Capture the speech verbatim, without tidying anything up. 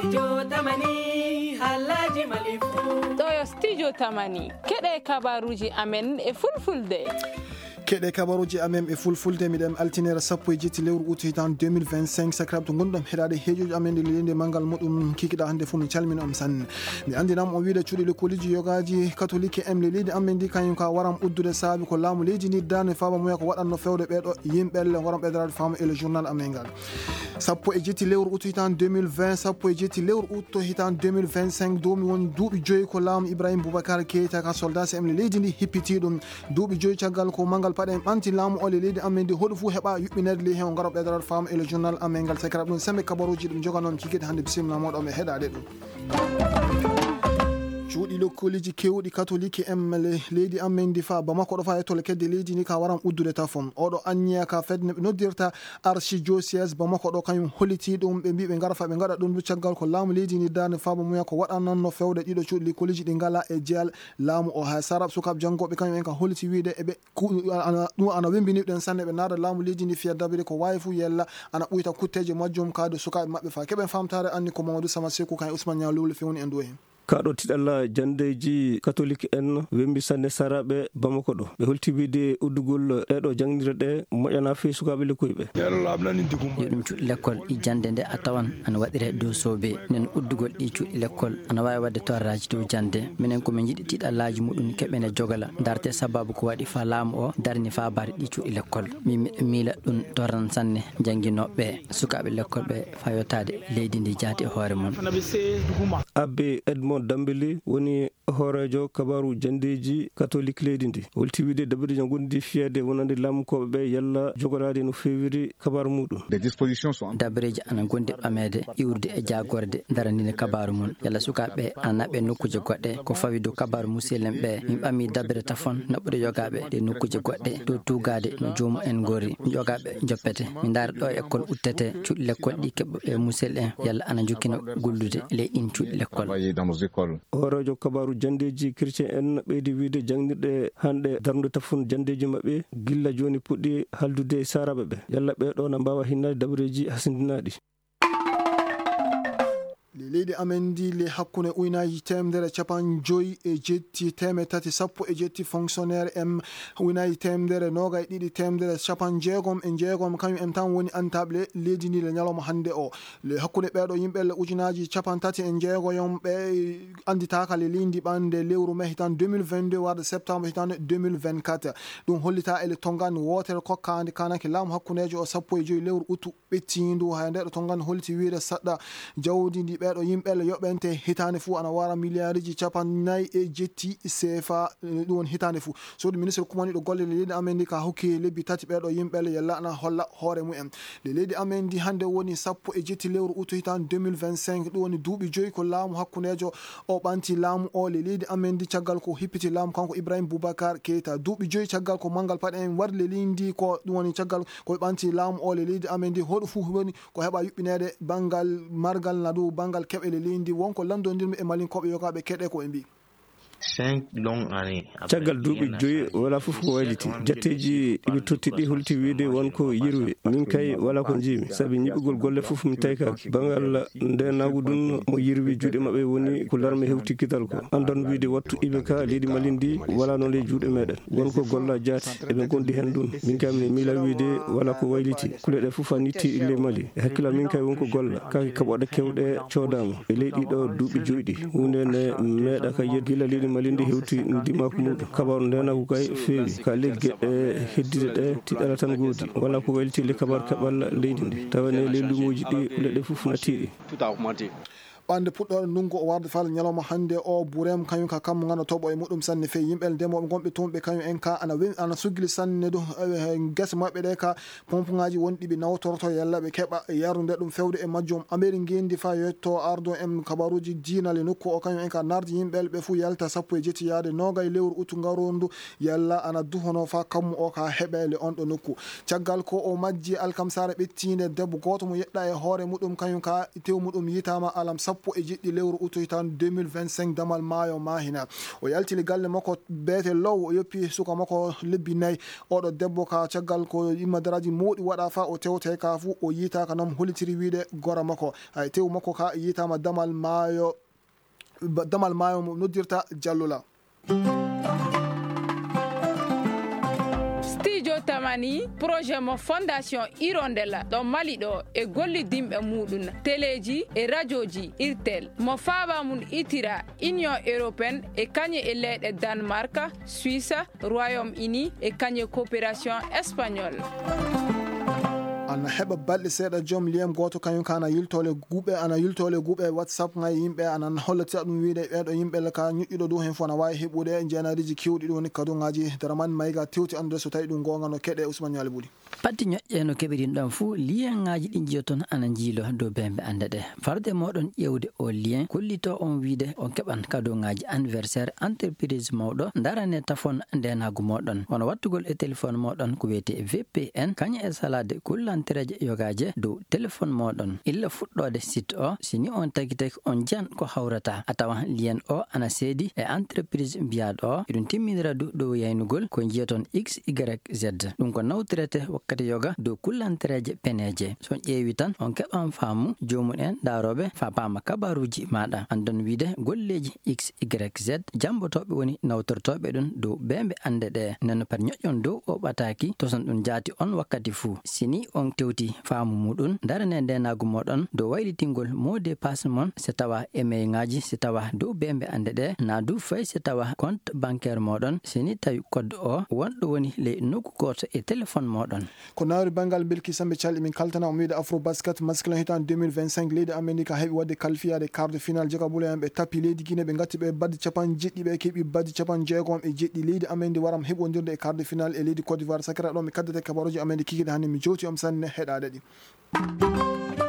Studio Tamani, Halaji Malifu. Ɗo yo Studio Tamani. Keɗe kabaruji amen e fulfulde. Keɗe kabaruji amen e fulfulde, miɗen altinere sappo e jetti lewru août hitan deux mille vingt-cinq. Sakiraaɓe to ngonɗon heɗaade heejoji amen ɗe leydi manngal muɗum kikiɗa hannde fof, min calmina on sanne. Mi anndinam on wiide cuuɗi lekkoliji yogaji katolike en le leydi amen ndi, kañum ka waram uddude saabi ko laamu leydi ndi darni faaba muya ko waɗanno fewde ɓeɗo yimɓe le ngoram ɓeydorade faamu e le journal amen ngal. Sappo e jetti lewru août hitan deux mille vingt, sappo e jetti lewru août hitan deux mille vingt-cinq, doomi won duuɓi joyi ko laamu Ibrahim Boubacar Keita ka soldat C M le leydi ndi hippiti ɗum. Duuɓi joyi caggal ko manngal paɗe en ɓanti laamu o le leydi amen ndi, hoɗo fof heɓa yuɓɓinede ley hen o ngaro ɓeydorade faamu e le journal amen ngal. Sakiraɓe ɗum sembe kabaruji ɗum joganon kikiɗe hannde, bisimilla moɗon e heɗade ɗum. Cuuɗi lekkoliji kewɗi katolike en le-, leydi amen ndi fa Bamako ɗo fa e tole kedde leydi ndi ka waram uddude tafon. Oɗo anniya ka fedde ɓe noddirta archidiocèse Bamako ɗo kañum holliti ɗum, ɓe mbi ɓe ngara fa ɓe ngaɗa ɗum du caggal ko laamu leydi ndi darni faaba muya ko waɗananno fewde ɗiɗo cuuɗi lekkoliji ɗi ngala e jeyal laamu o. Hay sarab sukaaɓe janngoɓe kañum en ka holliti wiide eɓe ku-, ana, ɗum ana wembini ɗen sanne, ɓe naada laamu leydi ndi fiya dabiri ko wawi fof yella ana ɓuyta kutteje majjum kaade sukaaɓe maɓɓe fa. Keɓen famtare anni ko Mamadou Sama Sekou kan e Ousmane Niang Lowle fewni en ɗo hen. Kaɗo tiɗalla jandeji katolik en wembi sanne saraɓe Bamako ɗo. Ɓe holti wiide uddugol ɗeɗo jangnirɗe ɗe moƴƴana fii sukaaɓe lekkoyɓe. Yo ɗum cuuɗi lekkol e jannde nde a tawan ana waɗire dow soobee. Nen uddugol ɗi cuuɗi lekkol ana waawi waɗde torraaji dow jannde. Minen ko min njiɗi tiiɗallaaji muɗum keɓen e jogala. Ndarte sababu ko waɗi faa laamu o darni faa bare ɗi cuuɗi lekkol. Min miɗo miila ɗum torran sanne jannginooɓe ɓe, sukaaɓe lekkol ɓe faa yottaade leydi ndi jaati e hoore mum. Abbe Edmond Dambélé woni hooreejo kabaaru janndeeji katolik leydi ndi, holti wiide dabareeji ana ngondi fiyaade wonande laamu kooɓe ɓe yalla jogoraade no feewiri kabaaru muɗum. Des dispositions sont en Dabareeji ana ngondi ɓameede, iwrude e jaagorde daraniinde kabaaru mum. Yalla sukaaɓe ɓe ana naɓe nokkuuje goɗɗe, ko fawi dow kabaaru musilɓe ɓe. Min ɓami dabere tafon naɓude yogaaɓe ɗe nokkuuje goɗɗe, dow tuugaade no joomum en ngori. Yogaaɓe njoppete. Min ndaara ɗo école uttete, cuuɗi lekkol ɗi keɓa ɓe musilɓe en, yalla ana njokkina gollude ley ɗin cuuɗi lekkol. Travailler dans nos écoles. Hooreejo kabaaru janndeeji chrétien en ɓeydi wiide janngirɗe hannde darnude tafon janndeeji maɓɓe gilla jooni puɗɗi haaldude e saaraaɓe ɓe. Yalla ɓee ɗoo na mbaawa hinnaade dabareeji hasindinaaɗi. Le leydi amen ndi le hakkunde uynaaji teemedere capanɗe joyi e jetti teemedde tati sappo e jetti fonctionnaire en uynaaji teemedere noogay ɗiɗi teemedere capanɗe jeegom e jeegom kañum en tan woni antaaɓe leydi ndi le ñalawma hannde o. Le hakkunde ɓeeɗo yimɓe le ujunaaji capanɗe tati e jeegoyon ɓe annditaaka le leydi ɓannde lewru mai hitan deux mille vingt-deux warde septembre hitan deux mille vingt-quatre. Ɗum hollita e le tonngani wootere kokkaande kanake laamu hakkundeejo o sappo e joyi lewru utu ɓettiindu. Hay nde ɗo tonngani holliti wiide saɗɗa jawdi ndi ɓeeɗo yimɓe le yoɓente hitaande fuu ana wara miliyaariji capanɗe nayi e jetti C F A, eh, ɗum woni hitaande fuu. Suudu ministre kumaniiɗo golle le leydi amen ndi ka hokki lebbi tati ɓeeɗo yimɓe le yalla ana holla hoore mumen. Le leydi amen ndi hannde woni sappo e jetti lewru utu hitan deux mille vingt-cinq, ɗum woni duuɓi joyi ko laamu hakkundeejo o ɓanti laamu o le leydi amen ndi caggal ko hippiti laamu kanko Ibrahim Boubacar Keita. Duuɓi joyi caggal ko manngal paɗe en wari le leydi ndi ko ɗum woni caggal ko ɓanti laamu o le leydi amen ndi hoɗo fof woni ko heɓa yuɓɓineede banngal margal na dow banngal keɓe le leydi ndi wonko lanndondirmi e malinkooɓe yogaaɓe keɗe ko ɓe mbi. Cinq longues années après. Caggal duuɓi joyi wala fof ko wayliti. Jatteeji ɗiɓi totti ɗi holti wiide won ko yirwi. Min kay wala ko njiimi. Sabi ñiɓugol golle fof mi taykaaki. Banngal ndeenaagu ɗum mo yirwi juuɗe maɓɓe woni ko larme hewti kidal ko. Andan wiide wattu iɓe ka leydi Mali ndi wala noon ley juuɗe meɗen. Won ko golla jaati eɓe gondi hen ɗum. Min kay mi miila wiide wala ko wayliti. Kuule ɗe fof a nitti ley Mali. E hakkillam min kay won ko golla. Kaaki kaɓoɗe kewɗe coodaama. E ley ɗiɗo duuɓi joyi ɗi. Huunde nde meeɗa ka yeddi gila leydi Mali ndi hewti ndimaku muɗum. Kabaru ndenagu kay feewi. Ka ley geɗe heddiɗe ɗe tiɗala tan goodi. Wala ko wayliti ley kabaru keɓal leydi ndi. Tawa ne ley luumoji ɗi kuule ɗe fof natti ɗi. Ɓande puɗɗoore ndungu o warde fal ñalawma hannde o burem kañum ka kammu ngana toɓo e muɗum sanne feyi yimɓe ndemooɓe gonɓe toon ɓe kañum en ka ana wen-, ana suggili sanne dow, eh, gese maɓɓe ɗe ka pompuŋaaji wonɗi ɓe nawtorto yalla ɓe keɓa yardude ɗum fewde e majjum. Ameri ngendi fa yetto ardo en kabaruji diina le nokku o kañum en ka nardi yimɓe ɓe fof yalta sappo e jetti yaade noogay lewru utu ngarondu yalla ana duhono fa kammu o ka heɓele on ɗo nokku. Caggal ko o majji alkamsare ɓettiinde debbo gooto mo yeɗɗa e hoore muɗum kañum ka tew muɗum yitaama alam sappo e jeɗɗi lewru utu hitaande deux mille vingt-cinq, damal maayo Mahina. O yaltini galle makko beete Low, o yoppi suka makko lebbi nayi. Oɗo debbo ka caggal ko immadaraaji mawɗi waɗa fa o tewte ka fu, o yiita ka nam hollitiri wiide gora makko. Hay tewu makko ka yiitama damal maayo, ba-, damal maayo mo noddirta Jallula. Studio Tamani, projet mo Fondation Hirondelle ɗo Mali ɗo e gollidinɓe muɗum, teleji e rajoji, irtel mo faaba mum itira Union Européenne e kañe e leyɗe Danemark, Suisse, Royaume-Uni e kañe coopération espagnole. Ana heɓa balɗe seeɗa joom lien gooto kañum ka ana yiltole guuɓe, ana yiltole guuɓe WhatsApp ngay yimɓe ana hollita ɗum wiide ɓeeɗo yimɓe le ka ñoƴƴuɗo dow hen fof ana waawi heɓude jeenaariji kewɗi ɗum woni kaduŋaaji. Daraman Mayga tewti anndude so tawi ɗum goonga no keɗe Ousmane Ñaali Buli. Patti ñoƴƴe no keɓirin ɗon fuu, liyaŋaaji ɗi njiyoton ana njiilo dow bembe annde ɗe. Farde moɗon ƴeewde o lien, kollito on wiide on keɓan kadoŋaaji anniversaire entreprise mawɗo, darane tafon ndenaagu moɗon. Wano wattugol e téléphone moɗon ko wiyete V P N, kañum e salaade kullantereeje yogaaje dow téléphone moɗon. Illa fuɗɗoode site o, si ni on tagi tagi on njiyan ko hawrata, a tawan lien o ana seedi e entreprise mbiyaaɗo o, eɗum timminira du dow yaynugol ko njiyaton X Y Z. Ɗum ko nawtirete wakkati yoga dow kullantereeje peneeje. So on ƴeewi tan, on keɓan faamu joomum en daarooɓe fa paama kabaruuji maaɗa. Andon wiide golleeji X Y Z, jambotooɓe woni nawtortooɓe ɗum dow bembe annde ɗe. Nden pat ñoƴƴon dow o ɓataaki, toson ɗum jaati on wakkati fuu. Si ni on tewti faamu muɗum, darane ndenaagu moɗon dow waylitingol mot de passe mon, si tawa email ŋaaji, si tawa dow bembe annde ɗe, na du fay si tawa compte bancaire moɗon, si ni tawi code o wonɗo woni ley nokku gooto e téléphone moɗon. Ko nawri banngal Bilki Sambe Calɗi, min kaltana on wiide Afro Basket masculin hitaande deux mille vingt-cinq, leydi Amerika heɓi waɗde qualifiyaade quart de finale. Jaka Bula en ɓe tapi leydi Guinée, ɓe ngatti ɓe baddi capanɗe jeɗɗi, ɓe keɓi baddi capanɗe jeegom e jeɗɗi. Leydi Amerika ndi waram heɓondirde e quart de finale e leydi Côte d'Ivoire. Sakira ɗo mi kaddete kabaruji Amerika kikide hannde mi jowti on sanne heɗaade ɗi.